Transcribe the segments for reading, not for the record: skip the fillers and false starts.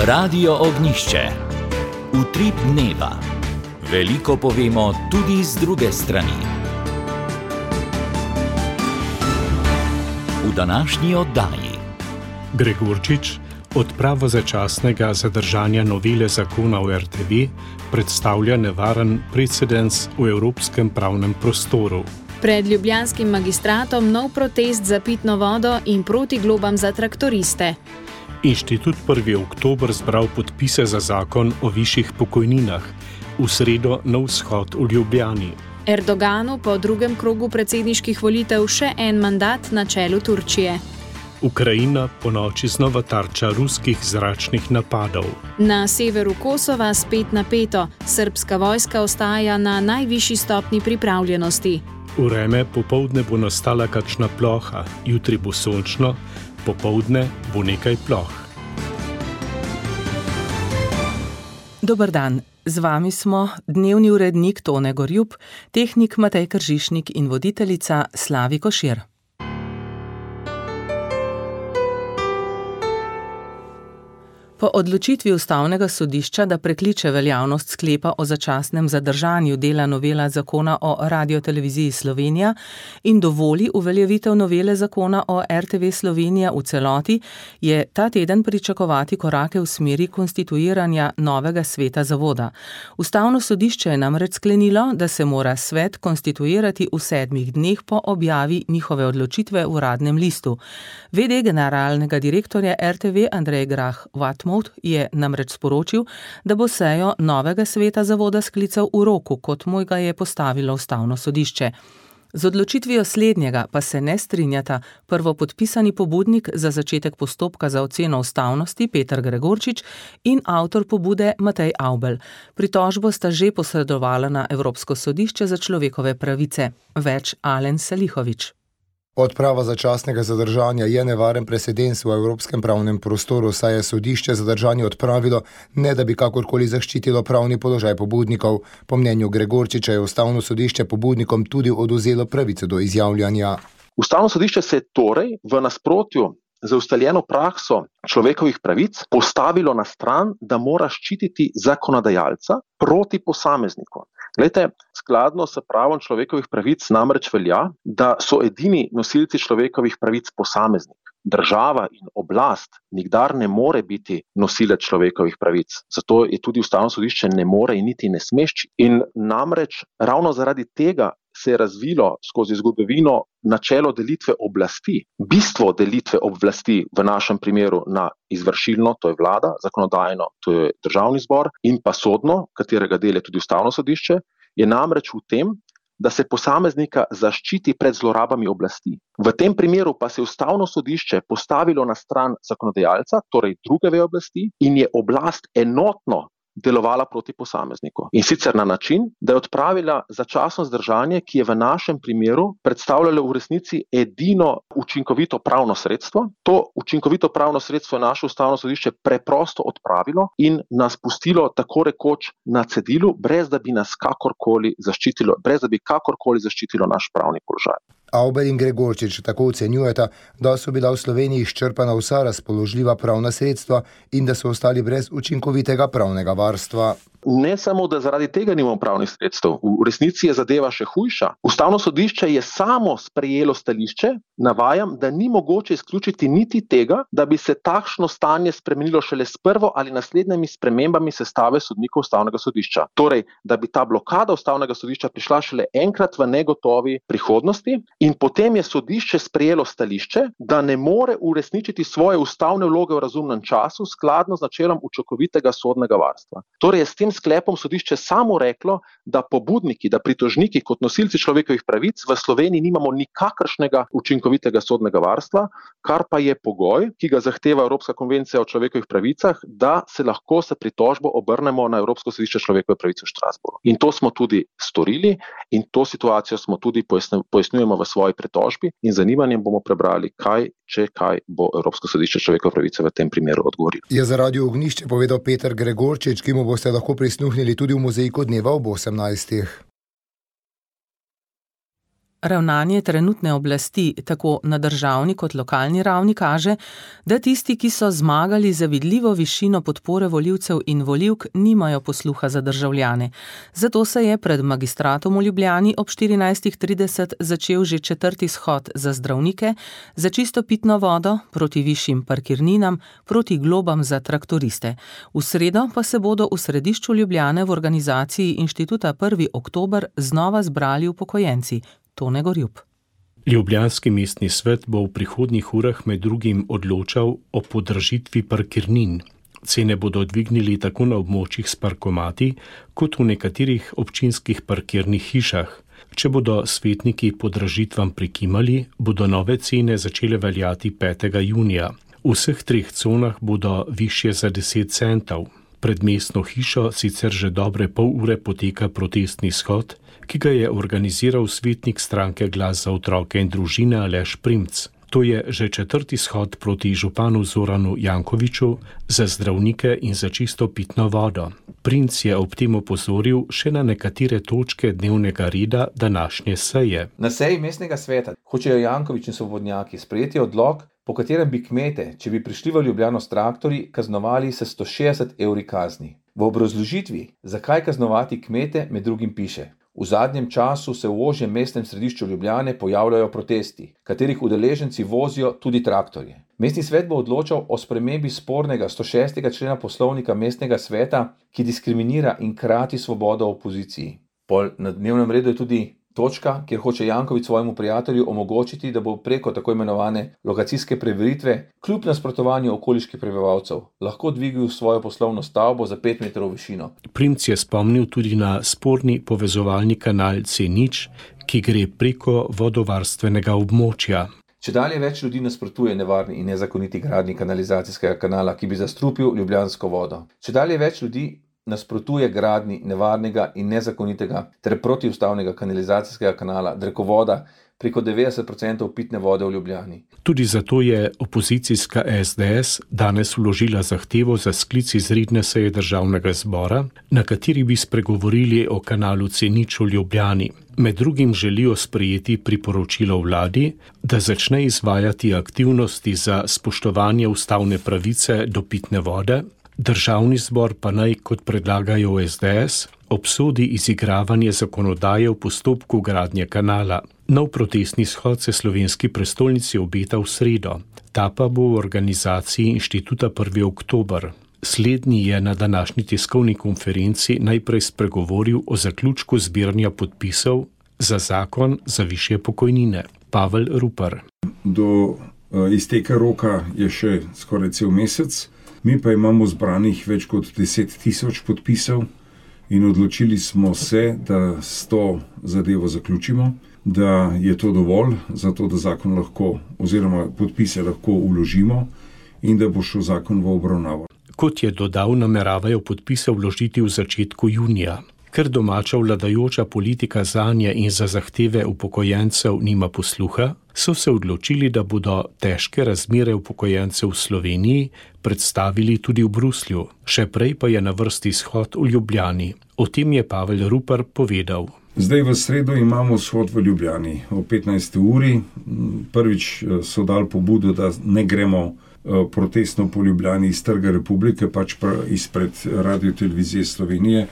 Radio Ognišče. Utrip dneva. Veliko povemo tudi z druge strani. V današnji oddaji Gregorčič, odprava začasnega zadržanja novele zakona o RTV predstavlja nevaren precedens v evropskem pravnem prostoru. Pred ljubljanskim magistratom nov protest za pitno vodo in proti globam za traktoriste. Inštitut 1. oktober zbral podpise za zakon o višjih pokojninah. V sredo nov shod v Ljubljani. Erdoganu po drugem krogu predsedniških volitev še en mandat na čelu Turčije. Ukrajina ponoči znova tarča ruskih zračnih napadov. Na severu Kosova spet napeto. Srbska vojska ostaja na najvišji stopnji pripravljenosti. Vreme popoldne bo nastala kakšna ploha, jutri bo sončno, popoldne bo nekaj ploh. Dober dan, z vami smo dnevni urednik Tone Gorjup, tehnik Matej Kržišnik in voditeljica Slavi Košir. Po odločitvi Ustavnega sodišča, da prekliče veljavnost sklepa o začasnem zadržanju dela novela zakona o Radioteleviziji Slovenija in dovoli uveljavitev novele zakona o RTV Slovenija v celoti, je ta teden pričakovati korake v smeri konstituiranja novega sveta zavoda. Ustavno sodišče je namreč sklenilo, da se mora svet konstituirati v 7 dneh po objavi njihove odločitve v Uradnem listu. VD generalnega direktorja RTV Andrej Grah-Watmouth je namreč sporočil, da bo sejo novega sveta zavoda sklical v roku, kot mu ga je postavilo Ustavno sodišče. Z odločitvijo slednjega pa se ne strinjata prvopodpisani pobudnik za začetek postopka za oceno ustavnosti Peter Gregorčič in avtor pobude Matej Avbelj. Pritožbo sta že posredovala na Evropsko sodišče za človekove pravice. Več Alen Salihovič. Odprava začasnega zadržanja je nevaren precedens v evropskem pravnem prostoru, saj je sodišče zadržanje odpravilo, ne da bi kakorkoli zaščitilo pravni položaj pobudnikov. Po mnenju Gregorčiča je Ustavno sodišče pobudnikom tudi odvzelo pravico do izjavljanja. Ustavno sodišče se je torej v nasprotju z ustaljeno prakso človekovih pravic postavilo na stran, da mora ščititi zakonodajalca proti posamezniku. Glejte, skladno s pravom človekovih pravic namreč velja, da so edini nosilci človekovih pravic posameznik. Država in oblast nikdar ne more biti nosilec človekovih pravic. Zato je tudi Ustavno sodišče ne more in niti ne sme ščititi. In namreč ravno zaradi tega se je razvilo skozi zgodovino načelo delitve oblasti. Bistvo delitve oblasti v našem primeru na izvršilno, to je vlada, zakonodajno, to je državni zbor, in pa sodno, katerega del je tudi Ustavno sodišče, je namreč v tem, da se posameznika zaščiti pred zlorabami oblasti. V tem primeru pa se je Ustavno sodišče postavilo na stran zakonodajalca, torej druge veje oblasti, in je oblast enotno delovala proti posamezniku. In sicer na način, da je odpravila začasno zdržanje, ki je v našem primeru predstavljalo v resnici edino učinkovito pravno sredstvo. To učinkovito pravno sredstvo je naše Ustavno sodišče preprosto odpravilo in nas pustilo tako rekoč na cedilu, brez da bi nas kakorkoli zaščitilo naš pravni položaj. Avbelj in Gregorčič tako ocenjujeta, da so bila v Sloveniji izčrpana vsa razpoložljiva pravna sredstva in da so ostali brez učinkovitega pravnega varstva. Ne samo, da zaradi tega nimamo pravnih sredstev, v resnici je zadeva še hujša. Ustavno sodišče je samo sprejelo stališče, navajam, da ni mogoče izključiti niti tega, da bi se takšno stanje spremenilo šele s prvo ali naslednjimi spremembami sestave sodnikov Ustavnega sodišča. Torej, da bi ta blokada Ustavnega sodišča prišla šele enkrat v negotovi prihodnosti in potem je sodišče sprejelo stališče, da ne more uresničiti svoje ustavne vloge v razumnem času skladno z načelom učinkovitega sodnega varstva. Torej je s tem sklepom sodišče samo reklo, da pobudniki, da pritožniki kot nosilci človekovih pravic v Sloveniji nimamo nikakršnega učinkovitega sodnega varstva, kar pa je pogoj, ki ga zahteva Evropska konvencija o človekovih pravicah, da se lahko s pritožbo obrnemo na Evropsko sodišče človekove pravice v Strasbourgu. In to smo tudi storili in to situacijo smo tudi pojasnjujemo v svoji pritožbi in z zanimanjem bomo prebrali, kaj bo Evropsko sodišče človekove pravice v tem primeru odgovorilo. Je za Radio Ognišče povedal Peter Gregorčič, ki mu boste lahko prisluhnili tudi v mozaiku dneva ob 18. Ravnanje trenutne oblasti, tako na državni kot lokalni ravni, kaže, da tisti, ki so zmagali za vidljivo višino podpore volivcev in volivk, nimajo posluha za državljane. Zato se je pred Magistratom v Ljubljani ob 14:30 začel že 4. shod za zdravnike, za čisto pitno vodo, proti višjim parkirninam, proti globam za traktoriste. V sredo pa se bodo v središču Ljubljane v organizaciji Inštituta 1. oktober znova zbrali upokojenci. Tone Gorjup. Ljubljanski mestni svet bo v prihodnjih urah med drugim odločal o podražitvi parkirnin. Cene bodo dvignili tako na območjih s parkomati, kot v nekaterih občinskih parkirnih hišah. Če bodo svetniki podražitvam prikimali, bodo nove cene začele veljati 5. junija. V vseh 3 conah bodo višje za 10 centov. Pred mestno hišo sicer že dobre pol ure poteka protestni shod, ki ga je organiziral svetnik stranke Glas za otroke in družine Aleš Primc. To je že 4. shod proti županu Zoranu Jankoviću za zdravnike in za čisto pitno vodo. Primc je ob tem opozoril še na nekatere točke dnevnega reda današnje seje. Na seji mestnega sveta hočejo Janković in svobodnjaki sprejeti odlok, po katerem bi kmete, če bi prišli v Ljubljano s traktorji, kaznovali s 160 evri kazni. V obrazložitvi, zakaj kaznovati kmete, med drugim piše: v zadnjem času se v ožjem mestnem središču Ljubljane pojavljajo protesti, katerih udeleženci vozijo tudi traktorje. Mestni svet bo odločal o spremembi spornega 106. člena poslovnika mestnega sveta, ki diskriminira in krati svobodo opoziciji. Na dnevnem redu je tudi točka, kjer hoče Janković svojemu prijatelju omogočiti, da bo preko tako imenovane lokacijske preveritve, kljub nasprotovanju okoliških prebivalcev, lahko dvignil svojo poslovno stavbo za 5 metrov višino. Primc je spomnil tudi na sporni povezovalni kanal C0, ki gre preko vodovarstvenega območja. Čedalje več ljudi nasprotuje nevarni in nezakoniti gradnji kanalizacijskega kanala, ki bi zastrupil ljubljansko vodo. Čedalje več ljudi nasprotuje gradnji nevarnega in nezakonitega ter protiustavnega kanalizacijskega kanala, drekovoda, preko 90% pitne vode v Ljubljani. Tudi zato je opozicijska SDS danes vložila zahtevo za sklic izredne seje državnega zbora, na kateri bi spregovorili o kanalu C0 v Ljubljani. Med drugim želijo sprejeti priporočilo vladi, da začne izvajati aktivnosti za spoštovanje ustavne pravice do pitne vode. Državni zbor pa naj, kot predlagajo v SDS, obsodi izigravanje zakonodaje v postopku gradnje kanala. Nov protestni shod se slovenski prestolnici obeta v sredo. Ta pa bo v organizaciji Inštituta 1. oktober. Slednji je na današnji tiskovni konferenci najprej spregovoril o zaključku zbiranja podpisov za zakon za višje pokojnine. Pavel Rupar. Do izteka roka je še skoraj cel mesec. Mi pa imamo zbranih več kot 10.000 podpisov in odločili smo se, da s to zadevo zaključimo, da je to dovolj, zato da zakon lahko oziroma podpise lahko vložimo in da bo šel zakon v obravnavo. Kot je dodal, nameravajo podpise vložiti v začetku junija. Ker domača vladajoča politika zanje in za zahteve upokojencev nima posluha, so se odločili, da bodo težke razmere upokojencev v Sloveniji predstavili tudi v Bruslju. Še prej pa je na vrsti shod v Ljubljani. O tem je Pavel Rupar povedal. Zdaj v sredo imamo shod v Ljubljani o 15. uri. Prvič so dali pobudo, da ne gremo protestno po Ljubljani iz Trga Republike, pač pa izpred Radiotelevizije Slovenije,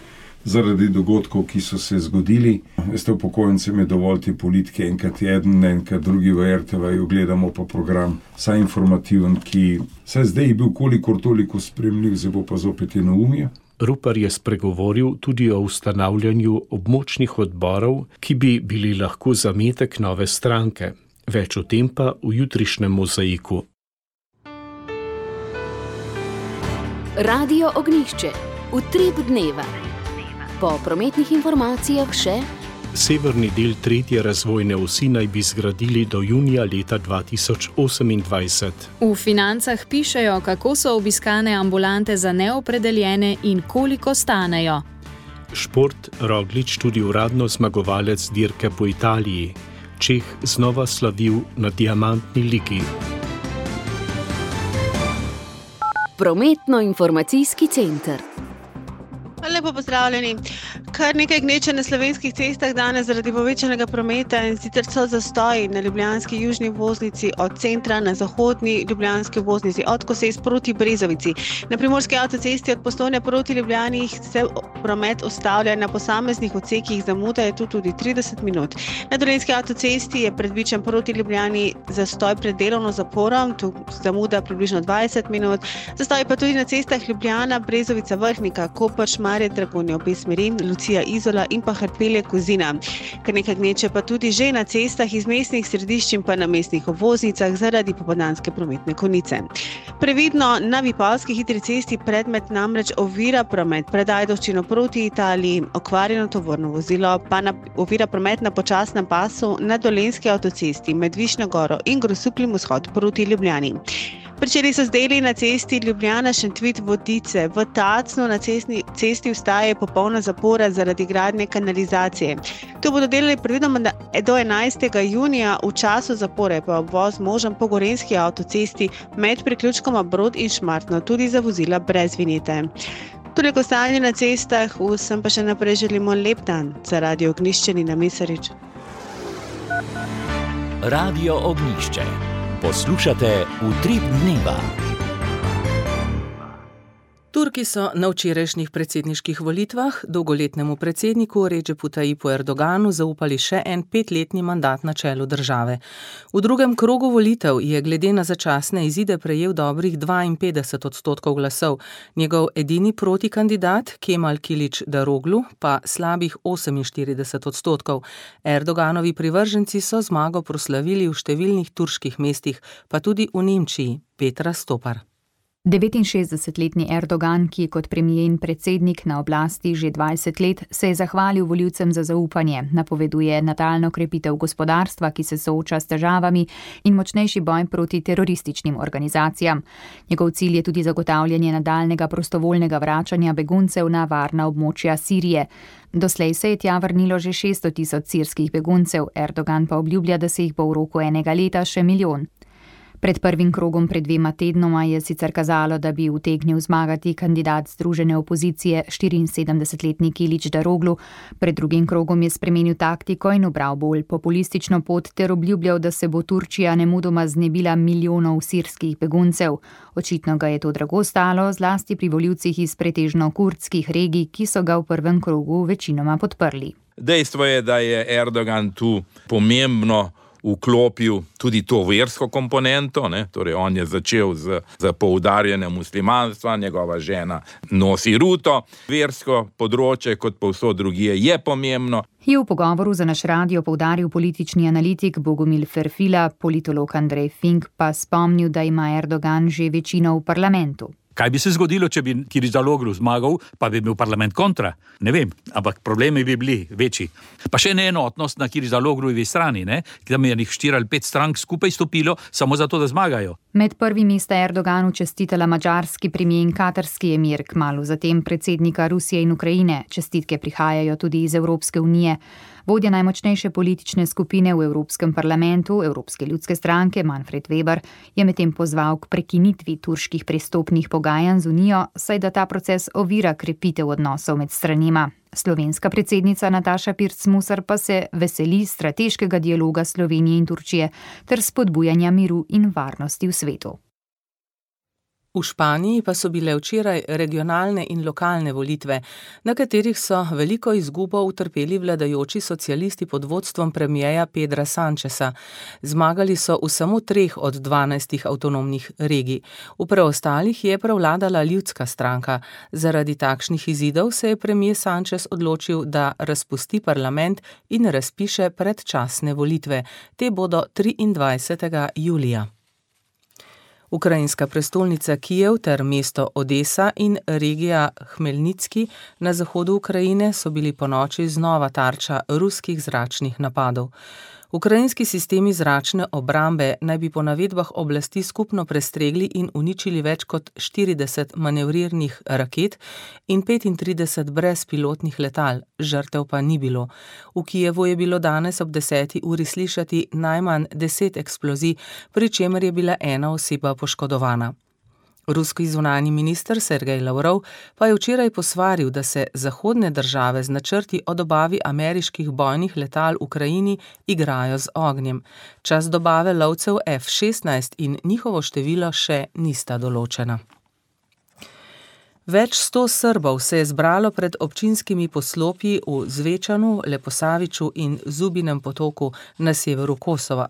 zaradi dogodkov, ki so se zgodili. Veste, upokojencem je dovolj te politike, enkrat jeden, enkrat drugi v RTV-ju, gledamo pa program vsaj informativen, ki se zdaj je bil kolikor toliko spremljiv, zdaj bo pa zopet enoumje. Rupar je spregovoril tudi o ustanavljanju območnih odborov, ki bi bili lahko zametek nove stranke. Več o tem pa v jutrišnjem mozaiku. Radio Ognjišče. Utrip dneva. Po prometnih informacijah še: severni del 3. razvojne osi naj bi zgradili do junija leta 2028. V Financah pišejo, kako so obiskane ambulante za neopredeljene in koliko stanejo. Šport, Roglič tudi uradno zmagovalec dirke po Italiji. Čeh znova slavil na diamantni ligi. Prometno-informacijski center. Lepo pozdravljeni. Kar nekaj gneče na slovenskih cestah danes zaradi povečanega prometa, in sicer so zastoji na ljubljanski južni obvoznici od centra na zahodni ljubljanski obvoznici od Koses proti Brezovici. Na primorski avtocesti od Postojne proti Ljubljani se promet ustavlja, na posameznih odsekih zamuda je tu tudi 30 minut. Na dolenjski avtocesti je predvičen proti Ljubljani zastoj pred delovno zaporom, tu zamuda približno 20 minut. Zastoj pa tudi na cestah Ljubljana, Brezovica, Vrhnika, Koper, Šmarje, Dragonja, obe smeri, Lucija, Izola in pa Hrpelje, Kozina. Kar nekaj gneče pa tudi že na cestah iz mestnih središč in pa na mestnih obvoznicah zaradi popoldanske prometne konice. Previdno, na Vipavski hitri cesti predmet namreč ovira promet pred Ajdovščino proti Italiji, okvarjeno tovorno vozilo pa ovira promet na počasnem pasu na dolenjski avtocesti med Višnjo Goro in Grosupljem vzhod proti Ljubljani. Pričeli so z deli na cesti Ljubljana-Šentvid-Vodice. V Tacnu na cesti vstaje popolna zapora zaradi gradnje kanalizacije. To bodo delali predvidoma do 11. junija, v času zapore pa obvoz možen po gorenjski avtocesti med priključkoma Brod in Šmartno, tudi za vozila brez vinjete. Toliko stanje na cestah, vsem pa še naprej želimo lep dan. Za Radio Ognjišče Nina Mesarič. Radio Ognjišče. Poslušate Utrip dneva. Turki so na včerajšnjih predsedniških volitvah dolgoletnemu predsedniku Recepu Tayyipu Erdoganu zaupali še en 5-letni mandat na čelu države. V drugem krogu volitev je glede na začasne izide prejel dobrih 52% glasov, njegov edini protikandidat Kemal Kilic-Daroglu pa slabih 48%. Erdoganovi privrženci so zmago proslavili v številnih turških mestih, pa tudi v Nemčiji. Petra Stopar. 69-letni Erdogan, ki je kot premier in predsednik na oblasti že 20 let, se je zahvalil volivcem za zaupanje, napoveduje nadaljnjo krepitev gospodarstva, ki se sooča s težavami, in močnejši boj proti terorističnim organizacijam. Njegov cilj je tudi zagotavljanje nadaljnega prostovoljnega vračanja beguncev na varna območja Sirije. Doslej se je tja vrnilo že 600 000 sirskih beguncev, Erdogan pa obljublja, da se jih bo v roku enega leta še milijon. Pred prvim krogom pred 2 tednoma je sicer kazalo, da bi utegnil zmagati kandidat združene opozicije 74-letni Kilic-Daroglu. Pred drugim krogom je spremenil taktiko in ubral bolj populistično pot ter obljubljal, da se bo Turčija nemudoma znebila milijonov sirskih beguncev. Očitno ga je to drago stalo, zlasti pri volivcih iz pretežno kurdskih regij, ki so ga v prvem krogu večinoma podprli. Dejstvo je, da je Erdogan tu pomembno vklopil tudi to versko komponento, torej on je začel z poudarjanjem muslimanstva, njegova žena nosi ruto. Versko področje, kot povsod drugje, je pomembno. Je v pogovoru za naš radio poudaril politični analitik Bogomil Ferfila, politolog Andrej Fink pa spomnil, da ima Erdogan že večino v parlamentu. Kaj bi se zgodilo, če bi Kilic-Daroglu zmagal, pa bi bil parlament kontra? Ne vem, ampak problemi bi bili večji. Pa še neenotnost na Kilic-Daroglujevi strani, tam je 4 ali 5 strank skupaj stopilo, samo zato, da zmagajo. Med prvimi sta Erdoganu čestitala madžarski premier in katarski emir, kmalu zatem predsednika Rusije in Ukrajine. Čestitke prihajajo tudi iz Evropske unije. Vodja najmočnejše politične skupine v Evropskem parlamentu, Evropske ljudske stranke, Manfred Weber, je medtem pozval k prekinitvi turških prestopnih pogajanj z Unijo, saj da ta proces ovira krepitev odnosov med stranima. Slovenska predsednica Nataša Pirc-Musar pa se veseli strateškega dialoga Slovenije in Turčije ter spodbujanja miru in varnosti v svetu. V Španiji pa so bile včeraj regionalne in lokalne volitve, na katerih so veliko izgubo utrpeli vladajoči socialisti pod vodstvom premierja Pedra Sancheza. Zmagali so v samo 3 od 12 avtonomnih regij. V preostalih je prevladala ljudska stranka. Zaradi takšnih izidov se je premier Sanchez odločil, da razpusti parlament in razpiše predčasne volitve. Te bodo 23. julija. Ukrajinska prestolnica Kijev ter mesto Odesa in regija Hmelnitski na zahodu Ukrajine so bili ponoči znova tarča ruskih zračnih napadov. Ukrajinski sistemi zračne obrambe naj bi po navedbah oblasti skupno prestregli in uničili več kot 40 manevrirnih raket in 35 brezpilotnih letal, žrtev pa ni bilo. V Kijevu je bilo danes ob 10. uri slišati najmanj 10 eksplozij, pri čemer je bila ena oseba poškodovana. Ruski zunanji minister Sergej Lavrov pa je včeraj posvaril, da se zahodne države z načrti o dobavi ameriških bojnih letal Ukrajini igrajo z ognjem. Čas dobave lovcev F-16 in njihovo število še nista določena. Več 100 Srbov se je zbralo pred občinskimi poslopji v Zvečanu, Leposaviču in Zubinem potoku na severu Kosova.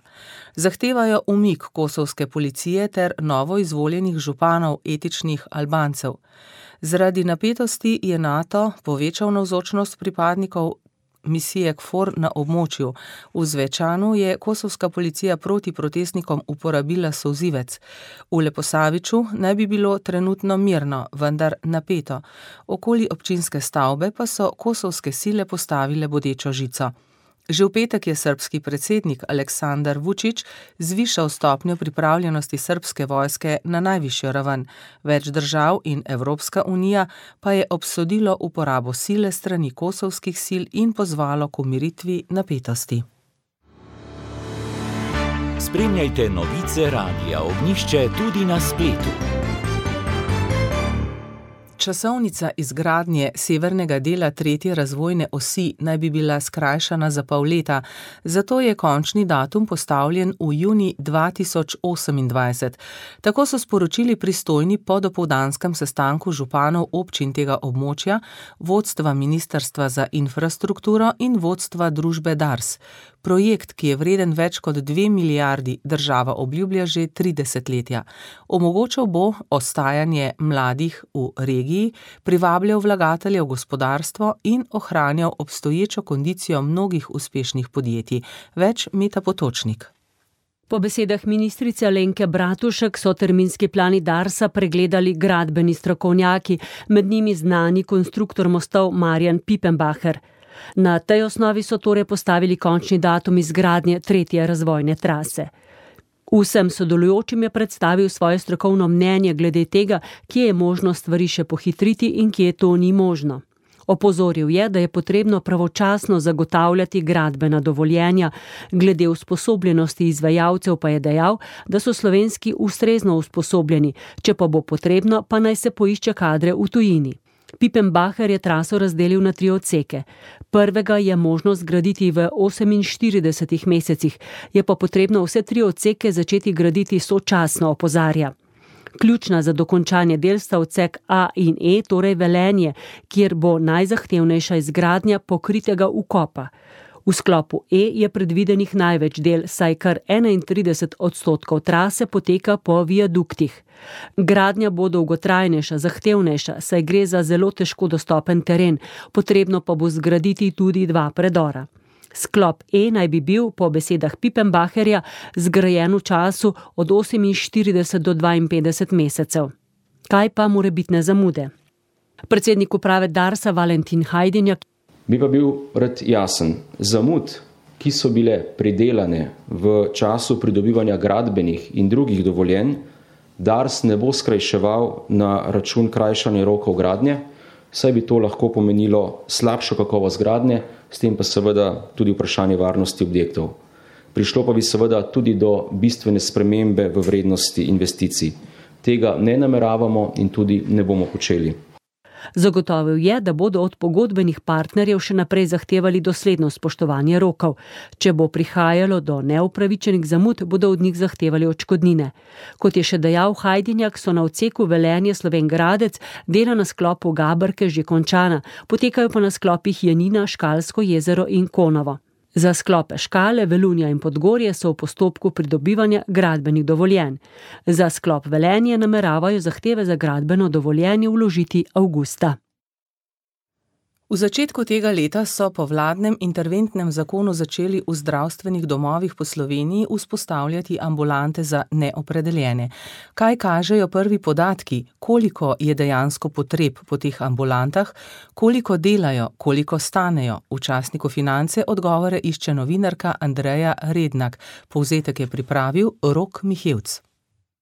Zahtevajo umik kosovske policije ter novo izvoljenih županov etičnih Albancev. Zaradi napetosti je NATO povečal navzočnost pripadnikov misije KFOR na območju. V Zvečanu je kosovska policija proti protestnikom uporabila solzivec. V Leposaviču naj bi bilo trenutno mirno, vendar napeto. Okoli občinske stavbe pa so kosovske sile postavile bodečo žico. Že v petek je srbski predsednik Aleksandar Vučić zvišal stopnjo pripravljenosti srbske vojske na najvišjo raven. Več držav in Evropska unija pa je obsodilo uporabo sile strani kosovskih sil in pozvalo k umiritvi napetosti. Spremljajte novice Radia Ognjišče tudi na spletu. Časovnica izgradnje severnega dela 3. razvojne osi naj bi bila skrajšana za pol leta, zato je končni datum postavljen v junij 2028. Tako so sporočili pristojni po dopoldanskem sestanku županov občin tega območja, vodstva Ministrstva za infrastrukturo in vodstva družbe Dars. Projekt, ki je vreden več kot 2 milijardi, država obljublja že 3 desetletja. Omogočal bo ostajanje mladih v regiji, privabljal vlagatelje v gospodarstvo in ohranjal obstoječo kondicijo mnogih uspešnih podjetij. Več Meta Potočnik. Po besedah ministrice Alenke Bratušek so terminski plani Darsa pregledali gradbeni strokovnjaki, med njimi znani konstruktor mostov Marjan Pipenbacher. Na tej osnovi so torej postavili končni datum izgradnje 3. razvojne trase. Vsem sodelujočim je predstavil svoje strokovno mnenje glede tega, kje je možno stvari še pohitriti in kje to ni možno. Opozoril je, da je potrebno pravočasno zagotavljati gradbena dovoljenja, glede usposobljenosti izvajalcev pa je dejal, da so slovenski ustrezno usposobljeni, če pa bo potrebno, pa naj se poišče kadre v tujini. Pipenbacher je traso razdelil na 3 odseke. Prvega je možno zgraditi v 48 mesecih, je pa potrebno vse 3 odseke začeti graditi sočasno, opozarja. Ključna za dokončanje del sta odsek A in E, torej Velenje, kjer bo najzahtevnejša izgradnja pokritega ukopa. V sklopu E je predvidenih največ del, saj kar 31% trase poteka po viaduktih. Gradnja bo dolgotrajnejša, zahtevnejša, saj gre za zelo težko dostopen teren, potrebno pa bo zgraditi tudi 2 predora. Sklop E naj bi bil, po besedah Pipenbacherja, zgrajen v času od 48 do 52 mesecev. Kaj pa morebitne zamude? Predsednik uprave Darsa Valentin Hajdinjak bi pa bil rad jasen. Zamud, ki so bile pridelane v času pridobivanja gradbenih in drugih dovoljenj, Dars ne bo skrajševal na račun krajšanja rokov gradnje, saj bi to lahko pomenilo slabšo kakovost gradnje, s tem pa seveda tudi vprašanje varnosti objektov. Prišlo pa bi seveda tudi do bistvene spremembe v vrednosti investicij. Tega ne nameravamo in tudi ne bomo počeli. Zagotovil je, da bodo od pogodbenih partnerjev še naprej zahtevali dosledno spoštovanje rokov. Če bo prihajalo do neupravičenih zamud, bodo od njih zahtevali odškodnine. Kot je še dejal Hajdinjak, so na odseku Velenje Slovenj Gradec dela na sklopu Gabrke že končana, potekajo pa na sklopih Janina, Škalsko jezero in Konovo. Za sklope Škale, Velunja in Podgorje so v postopku pridobivanja gradbenih dovoljenj. Za sklop Velenje nameravajo zahteve za gradbeno dovoljenje vložiti avgusta. V začetku tega leta so po vladnem interventnem zakonu začeli v zdravstvenih domovih po Sloveniji vzpostavljati ambulante za neopredeljene. Kaj kažejo prvi podatki, koliko je dejansko potreb po teh ambulantah, koliko delajo, koliko stanejo? V časniku Finance odgovore išče novinarka Andreja Rednak. Povzetek je pripravil Rok Mihevc.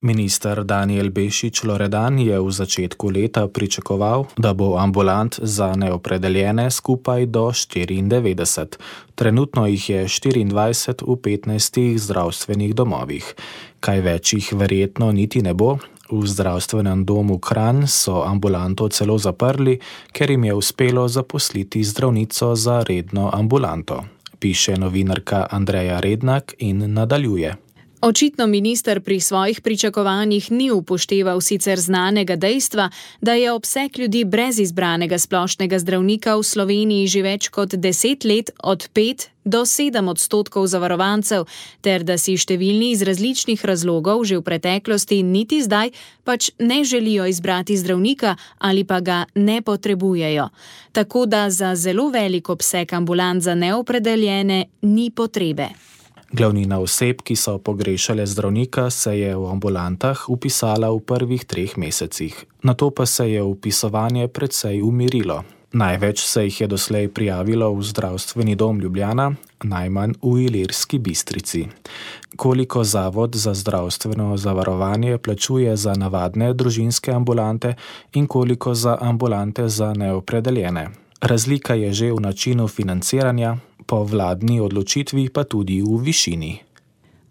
Minister Danijel Bešič Loredan je v začetku leta pričakoval, da bo ambulant za neopredeljene skupaj do 94. Trenutno jih je 24 v 15 zdravstvenih domovih. Kaj več jih verjetno niti ne bo, V zdravstvenem domu Kranj so ambulanto celo zaprli, ker jim je uspelo zaposliti zdravnico za redno ambulanto, piše novinarka Andreja Rednak in nadaljuje. Očitno minister pri svojih pričakovanjih ni upošteval sicer znanega dejstva, da je obseg ljudi brez izbranega splošnega zdravnika v Sloveniji že več kot 10 let od 5 do 7% zavarovancev, ter da si številni iz različnih razlogov že v preteklosti niti zdaj pač ne želijo izbrati zdravnika ali pa ga ne potrebujejo. Tako da za zelo velik obseg ambulant za neopredeljene ni potrebe. Glavnina oseb, ki so pogrešale zdravnika, se je v ambulantah vpisala v prvih 3 mesecih. Nato pa se je vpisovanje precej umirilo. Največ se jih je doslej prijavilo v zdravstveni dom Ljubljana, najmanj v Ilirski Bistrici. Koliko Zavod za zdravstveno zavarovanje plačuje za navadne družinske ambulante in koliko za ambulante za neopredeljene? Razlika je že v načinu financiranja, po vladni odločitvi pa tudi v višini.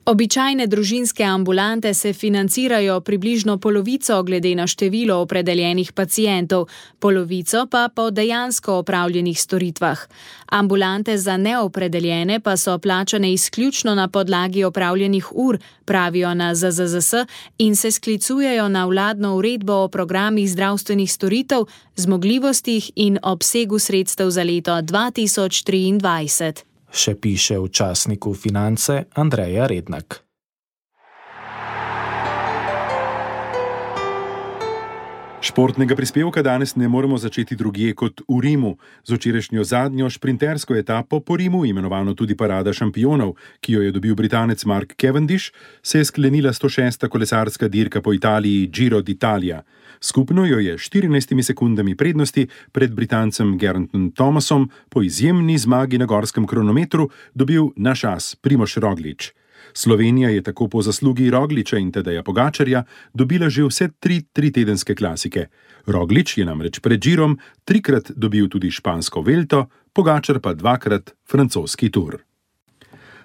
Običajne družinske ambulante se financirajo približno polovico glede na število opredeljenih pacientov, polovico pa po dejansko opravljenih storitvah. Ambulante za neopredeljene pa so plačane izključno na podlagi opravljenih ur, pravijo na ZZZS, in se sklicujejo na vladno uredbo o programih zdravstvenih storitev, zmogljivostih in obsegu sredstev za leto 2023. Še piše v časniku Finance Andreja Rednak. Športnega prispevka danes ne moremo začeti drugje kot v Rimu. Z včerajšnjo zadnjo šprintersko etapo po Rimu, imenovano tudi Parada šampionov, ki jo je dobil Britanec Mark Cavendish, se je sklenila 106. kolesarska dirka po Italiji Giro d'Italia. Skupno jo je 14 sekundami prednosti pred Britancem Gerantom Thomasom po izjemni zmagi na gorskem kronometru dobil naš as Primož Roglič. Slovenija je tako po zaslugi Rogliča in Tadeja Pogačarja dobila že vse 3 tritedenske klasike. Roglič je namreč pred Girom 3-krat dobil tudi špansko Velto, Pogačar pa 2-krat francoski Tour.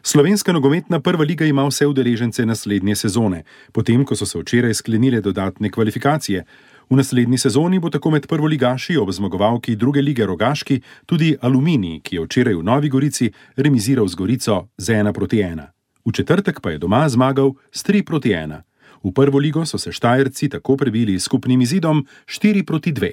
Slovenska nogometna prva liga ima vse udeležence naslednje sezone, potem ko so se včeraj sklenile dodatne kvalifikacije. V naslednji sezoni bo tako med prvoligaši ob zmagovalki druge lige Rogaški tudi Aluminij, ki je včeraj v Novi Gorici remiziral z Gorico z 1-1. V četrtek pa je doma zmagal s 3-1. V prvo ligo so se Štajerci tako prebili s skupnim izidom 4-2.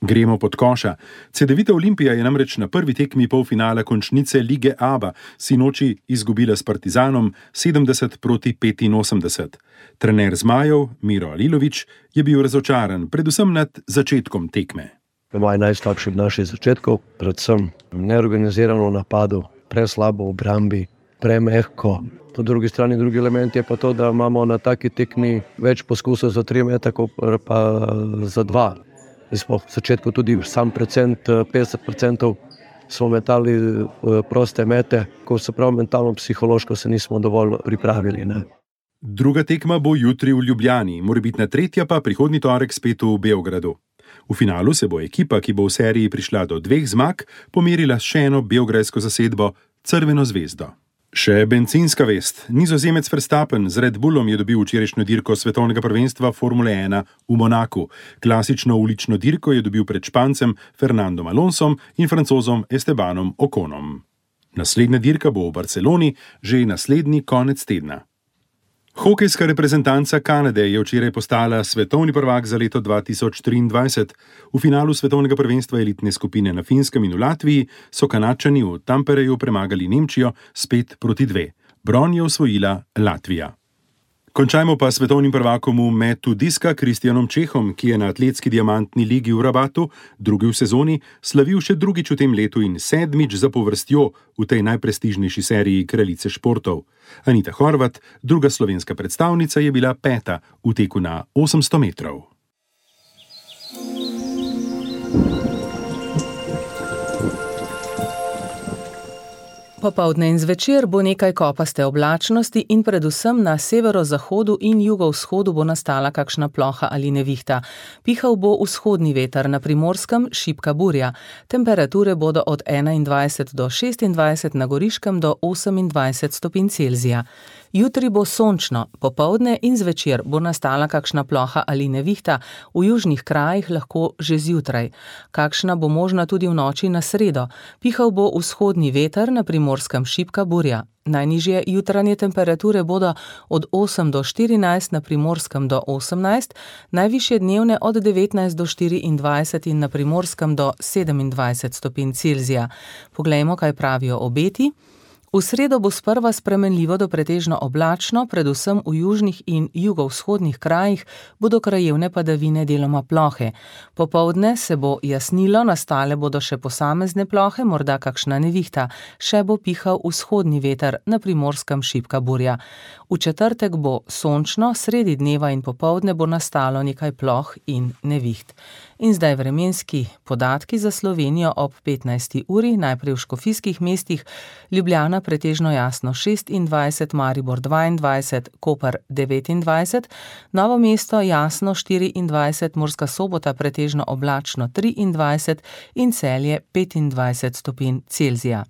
Gremo pod koša. Cedevita Olimpija je namreč na prvi tekmi polfinala končnice lige ABA sinoči izgubila s Partizanom 70-85. Trener zmajev Miro Alilović je bil razočaran, predvsem nad začetkom tekme. Moj najslabši v naših začetkov, predvsem neorganizirano napadu, preslabo v obrambi, premehko. Po drugi strani, drugi element je pa to, da imamo na taki tekmi več poskusov za 3 meta, kot pa za 2. V začetku tudi sam procent, 50% smo metali proste mete, ko se prav mentalno, psihološko se nismo dovolj pripravili. Ne? Druga tekma bo jutri v Ljubljani, morebitna tretja pa prihodnji torek spet v Beogradu. V finalu se bo ekipa, ki bo v seriji prišla do 2 zmag, pomerila s še eno beograjsko zasedbo Crveno zvezdo. Še bencinska vest. Nizozemec Verstappen z Red Bullom je dobil včerajšnjo dirko svetovnega prvenstva Formule 1 v Monaku. Klasično ulično dirko je dobil pred Špancem Fernandom Alonsom in Francozom Estebanom Oconom. Naslednja dirka bo v Barceloni že naslednji konec tedna. Hokejska reprezentanca Kanade je včeraj postala svetovni prvak za leto 2023. V finalu svetovnega prvenstva elitne skupine na Finskem in v Latviji so Kanadčani v Tampereju premagali Nemčijo s 5-2. Bron je osvojila Latvija. Končajmo pa svetovnim prvakom v metu diska Kristjanom Čehom, ki je na atletski diamantni ligi v Rabatu, drugi v sezoni, slavil še drugič v tem letu in 7. zapovrstjo v tej najprestižnejši seriji kraljice športov. Anita Horvat, druga slovenska predstavnica, je bila 5. v teku na 800 metrov. Popoldne in zvečer bo nekaj kopaste oblačnosti in predvsem na severozahodu in jugovzhodu bo nastala kakšna ploha ali nevihta. Pihal bo vzhodni veter, na Primorskem šibka burja. Temperature bodo od 21 do 26, na Goriškem do 28 stopinj Celzija. Jutri bo sončno, popoldne in zvečer bo nastala kakšna ploha ali nevihta, v južnih krajih lahko že zjutraj. Kakšna bo možna tudi v noči na sredo. Pihal bo vzhodni veter, na Primorskem šibka burja. Najnižje jutranje temperature bodo od 8 do 14, na Primorskem do 18, najvišje dnevne od 19 do 24 in na Primorskem do 27 stopinj Celzija. Poglejmo, kaj pravijo obeti. V sredo bo sprva spremenljivo do pretežno oblačno, predvsem v južnih in jugovzhodnih krajih bodo krajevne padavine deloma plohe. Popoldne se bo jasnilo, nastale bodo še posamezne plohe, morda kakšna nevihta, še bo pihal vzhodni veter, na Primorskem šibka burja. V četrtek bo sončno, sredi dneva in popoldne bo nastalo nekaj ploh in neviht. In zdaj vremenski podatki za Slovenijo ob 15. uri, najprej v škofijskih mestih, Ljubljana pretežno jasno 26, Maribor 22, Koper 29, Novo mesto jasno 24, Murska Sobota pretežno oblačno 23 in Celje 25 stopinj Celzija.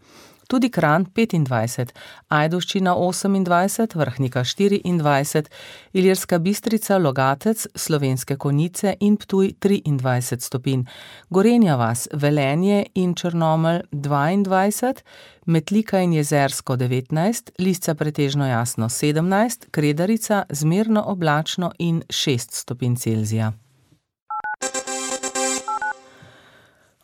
Tudi Kranj 25, Ajdovščina 28, Vrhnika 24, Ilirska Bistrica, Logatec, Slovenske Konjice in Ptuj 23 stopinj, Gorenja vas, Velenje in Črnomelj 22, Metlika in Jezersko 19, Lisca pretežno jasno 17, Kredarica zmerno oblačno in 6 stopinj Celzija.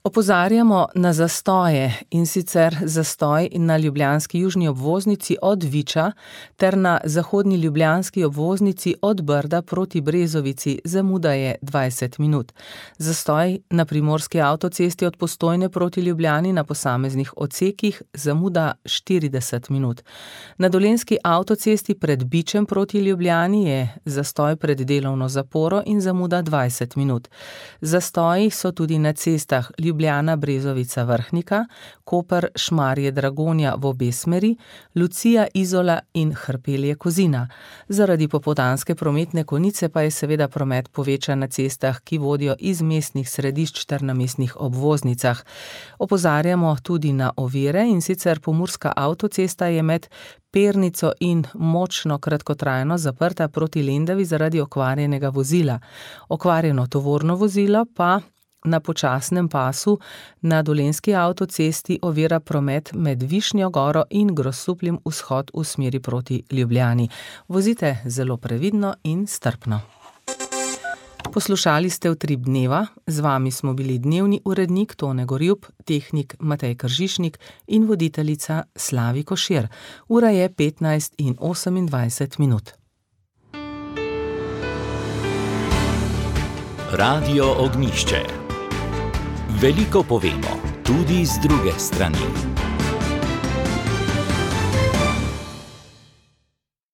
Opozarjamo na zastoje, in sicer zastoj na ljubljanski južni obvoznici od Viča ter na zahodni ljubljanski obvoznici od Brda proti Brezovici, zamuda je 20 minut. Zastoj na primorski avtocesti od Postojne proti Ljubljani na posameznih odsekih, zamuda 40 minut. Na dolenjski avtocesti pred Bičem proti Ljubljani je zastoj pred delovno zaporo in zamuda 20 minut. Zastoji so tudi na cestah Ljubljana, Brezovica, Vrhnika, Koper, Šmarje, Dragonja v obe smeri, Lucija, Izola in Hrpelje, Kozina. Zaradi popoldanske prometne konice pa je seveda promet povečan na cestah, ki vodijo iz mestnih središč ter na mestnih obvoznicah. Opozarjamo tudi na ovire, in sicer pomurska avtocesta je med Pernico in Močno kratkotrajno zaprta proti Lendavi zaradi okvarjenega vozila. Okvarjeno tovorno vozilo pa na počasnem pasu na dolenjski avtocesti ovira promet med Višnjo goro in Grosupljem vzhod v smeri proti Ljubljani. Vozite zelo previdno in strpno. Poslušali ste Utrip dneva, z vami smo bili dnevni urednik Tone Gorjup, tehnik Matej Kržišnik in voditeljica Slavi Košir. Ura je 15:28 minut. Radio Ognjišče. Veliko povemo, tudi z druge strani.